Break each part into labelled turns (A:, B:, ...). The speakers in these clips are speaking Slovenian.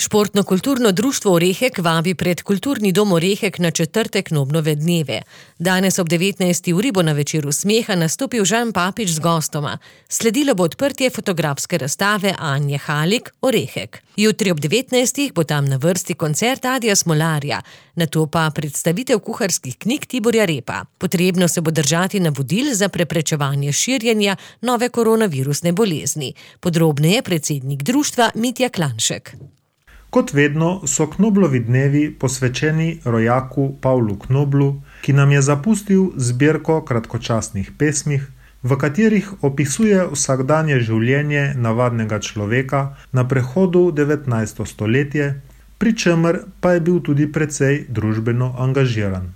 A: Športno-kulturno društvo Orehek vabi pred Kulturni dom Orehek na četrtek Knoblove dneve. Danes ob 19. uri bo na Večeru smeha nastopil Žan Papič z gostoma. Sledilo bo odprtje fotografske razstave Anje Halik Orehek. Jutri ob 19. bo tam na vrsti koncert Adija Smolarja, nato pa predstavitev kuharskih knjig Tiborja Repa. Potrebno se bo držati navodil za preprečevanje širjenja nove koronavirusne bolezni. Podrobneje predsednik društva Mitja Klanšek.
B: Kot vedno so Knoblovi dnevi posvečeni rojaku Pavlu Knoblu, ki nam je zapustil zbirko kratkočasnih pesmih, v katerih opisuje vsakdanje življenje navadnega človeka na prehodu 19. stoletje, pri čemer pa je bil tudi precej družbeno angažiran.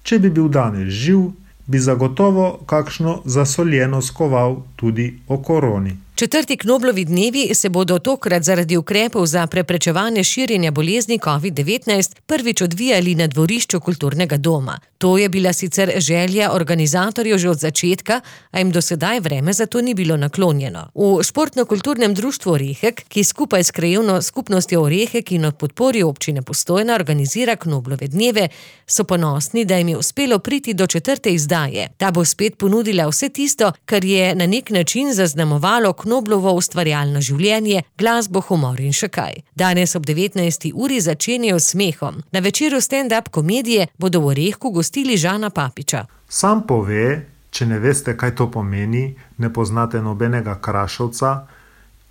B: Če bi bil danes živ, bi zagotovo kakšno zasoljeno skoval tudi o koroni.
A: Četrti Knoblovi dnevi se bodo tokrat zaradi ukrepov za preprečevanje širjenja bolezni COVID-19 prvič odvijali na dvorišču Kulturnega doma. To je bila sicer želja organizatorjev že od začetka, a jim do sedaj vreme za to ni bilo naklonjeno. V Športno-kulturnem društvu Orehek, ki skupaj s krajevno skupnostjo Orehek in ob podpori občine Postojna organizira Knoblove dneve, so ponosni, da jim je uspelo priti do četrte izdaje. Ta bo spet ponudila vse tisto, kar je na nek način zaznamovalo Knoblovo ustvarjalno življenje, glasbo, humor in še kaj. Danes ob 19. uri začenjajo s smehom. Na večeru stand-up komedije bodo v Orehku gostili Žana Papiča.
B: Sam pove, če ne veste, kaj to pomeni, ne poznate nobenega Krašovca,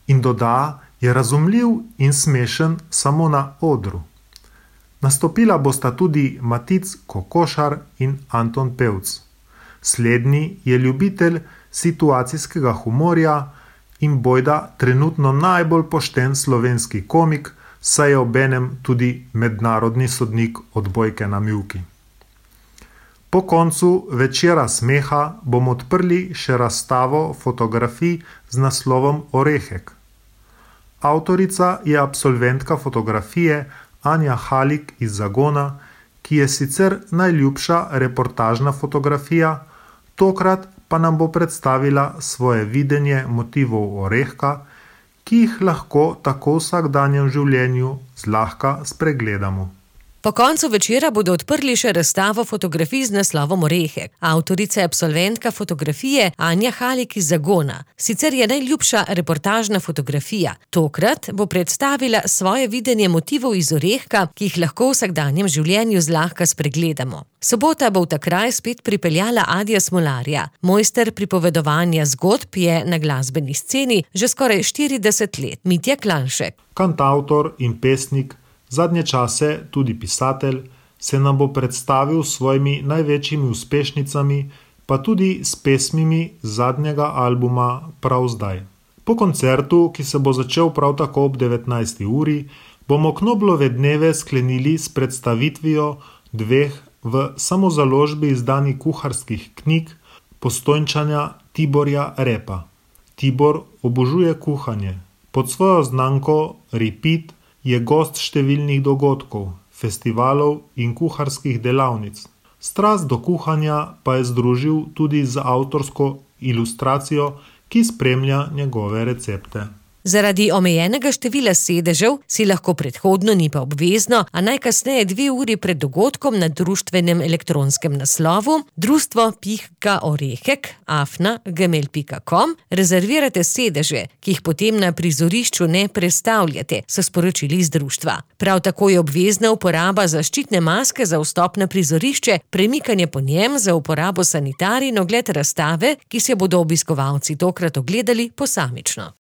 B: in doda, je razumljiv in smešen samo na odru. Nastopila bosta tudi Matic Kokošar in Anton Pevc. Slednji je ljubitelj situacijskega humorja in bojda trenutno najbolj pošten slovenski komik, saj je obenem tudi mednarodni sodnik odbojke na mivki. Po koncu Večera smeha bomo odprli še razstavo fotografij z naslovom Orehek. Avtorica je absolventka fotografije Anja Halik iz Zagona, ki je sicer najljubša reportažna fotografija, tokrat pa nam bo predstavila svoje videnje motivov Orehka, ki jih lahko tako v vsakdanjem življenju zlahka spregledamo.
A: Po koncu večera bodo odprli še razstavo fotografij z naslovom Orehek. Avtorica je absolventka fotografije Anja Halik iz Zagona. Sicer je najljubša reportažna fotografija. Tokrat bo predstavila svoje videnje motivov iz Orehka, ki jih lahko v vsakdanjem življenju zlahka spregledamo. Sobota bo v ta kraj spet pripeljala Adija Smolarja. Mojster pripovedovanja zgodb je na glasbeni sceni že skoraj 40 let. Mitja Klanšek.
B: Kantavtor in pesnik, zadnje čase tudi pisatelj, se nam bo predstavil s svojimi največjimi uspešnicami, pa tudi s pesmimi zadnjega albuma Prav zdaj. Po koncertu, ki se bo začel prav tako ob 19. uri, bomo Knoblove dneve sklenili s predstavitvijo dveh v samozaložbi izdanih kuharskih knjig Postojnčana Tiborja Repa. Tibor obožuje kuhanje. Pod svojo znamko Repeat je gost številnih dogodkov, festivalov in kuharskih delavnic. Strast do kuhanja pa je združil tudi z avtorsko ilustracijo, ki spremlja njegove recepte.
A: Zaradi omejenega števila sedežev si lahko predhodno, ni pa obvezno, a najkasneje 2 uri pred dogodkom na društvenem elektronskem naslovu društvo.orehek@gmail.com rezervirate sedeže, ki jih potem na prizorišču ne prestavljate, so sporočili iz društva. Prav tako je obvezna uporaba zaščitne maske za vstop na prizorišče, premikanje po njem za uporabo sanitarij in ogled razstave, ki se bodo obiskovalci tokrat ogledali posamično.